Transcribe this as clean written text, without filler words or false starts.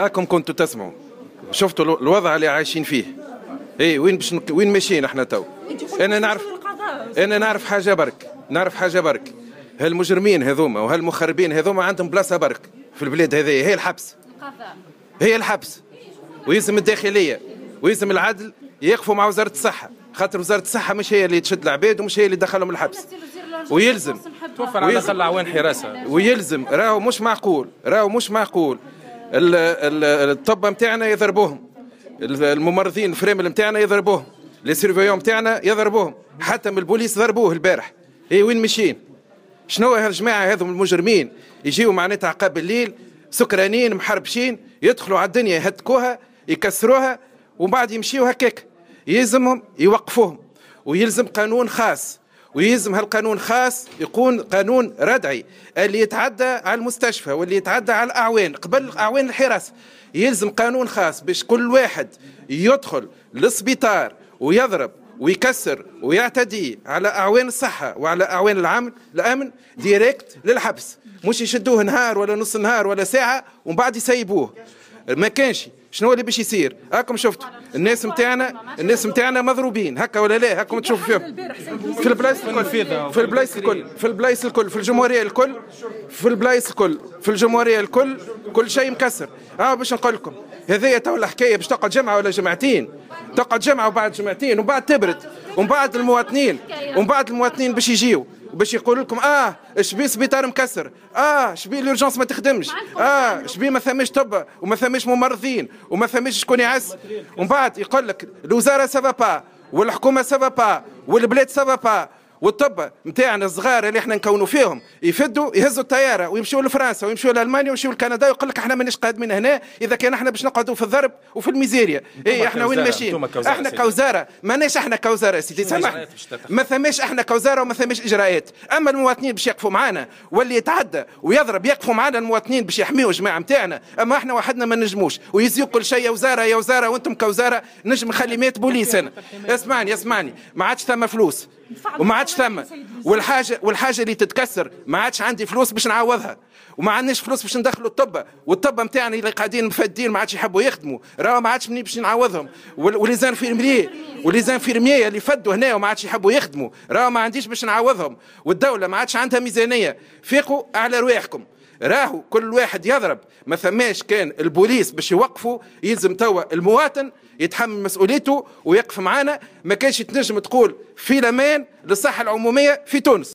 اكم كنتوا تسمعوا، شفتوا الوضع اللي عايشين فيه. اي وين باش وين ماشيين احنا تو؟ انا نعرف حاجة برك، نعرف حاجة برك. هالمجرمين هذوما وهالمخربين هذوما عندهم بلاصة برك في البلاد هذه، هي الحبس، هي الحبس. ويلزم الداخلية ويلزم العدل يقفوا مع وزارة الصحه، خاطر وزارة الصحة مش هي اللي تشد العباد ومش هي اللي تدخلهم الحبس. ويلزم توفر على الاقل اعوان حراسه. ويلزم، راهو مش معقول، راهو مش معقول الطب نتاعنا يضربوهم، الممرضين الفرامل نتاعنا يضربوهم، les surveillants نتاعنا يضربوهم، حتى من البوليس ضربوه البارح. اي وين ماشيين؟ شنو هالجماعه هذو المجرمين يجيو معناتها عقاب الليل سكرانين محربشين، يدخلوا على الدنيا يهتكوها يكسروها ومن بعد يمشيو هكاك. يلزمهم يوقفوهم، ويلزم قانون خاص، ويلزم هالقانون خاص يكون قانون ردعي، اللي يتعدى على المستشفى واللي يتعدى على الاعوان قبل اعوان الحراسه. يلزم قانون خاص باش كل واحد يدخل للسبيطار ويضرب ويكسر ويعتدي على اعوان الصحة وعلى اعوان العمل الامن direct للحبس، مش يشدوه نهار ولا نص نهار ولا ساعة ومن بعد يسيبوه. ما كانش شنو اللي باش يصير؟ هاكم شفتوا الناس نتاعنا، الناس نتاعنا مضروبين هكا ولا لا؟ هاكم تشوفوا فيهم في البلايص الكل، في البلايص الكل، في البلايص الكل، في الجمهورية الكل، في البلايص الكل، في الجمهورية الكل، كل شيء مكسر. باش نقول لكم هذايا تو الحكاية باش تقعد جمعه ولا جمعتين، تقعد جمعه وبعد جمعتين ومن بعد تبرد، ومن بعد المواطنين باش يجيو باش يقولوا لكم شبي سبيطار مكسر، شبي l'urgence ما تخدمش، شبي ما ثماش طب وما ثماش ممرضين وما ثماش شكون يعس. ومن بعد يقول لك الوزارة ça va pas والحكومة ça va pas والبلاد ça va pas. والطب نتاعنا الصغار اللي احنا نكونوا فيهم يفدوا، يهزوا الطيارة ويمشوا لفرنسا ويمشوا لالمانيا ويمشوا لكندا، ويقول لك احنا مانيش قادمين هنا اذا كان احنا باش نقعدوا في الضرب وفي الميزيريا. اي احنا وين ماشيين؟ احنا كوزارة ماناش احنا كوزارة سيدي، سامحني، ما ثماش احنا كوزارة وما ثماش اجراءات. اما المواطنين باش يقفوا معنا، واللي يتعدى ويضرب يقفوا معنا المواطنين باش يحميوا الجماعة نتاعنا. اما احنا وحدنا ما نجموش. ويزيو كل شيء يا وزارة يا وزاره، وانتم كوزارة نجم نخلي 100 بوليس انا. اسمعني اسمعني، ما عادش ثم فلوس وما عادش ثم، والحاجه اللي تتكسر ما عادش عندي فلوس باش نعوضها، وما عندناش فلوس باش ندخلوا الطب، والطب نتاعنا اللي قاعدين مفدين ما عادش يحبوا يخدموا، راهو ما عادش منين باش نعوضهم. و les infirmiers و les infirmiers اللي فدوا هنا وما عادش يحبوا يخدموا، راهو ما عنديش باش نعوضهم، والدولة ما عادش عندها ميزانيه. فيقوا على رواحكم، راهو كل واحد يضرب ما ثماش كان البوليس باش يوقفوا. يلزم توا المواطن يتحمل مسؤوليته ويقف معانا. ما كانش تنجم تقول في الامان للصحة العمومية في تونس.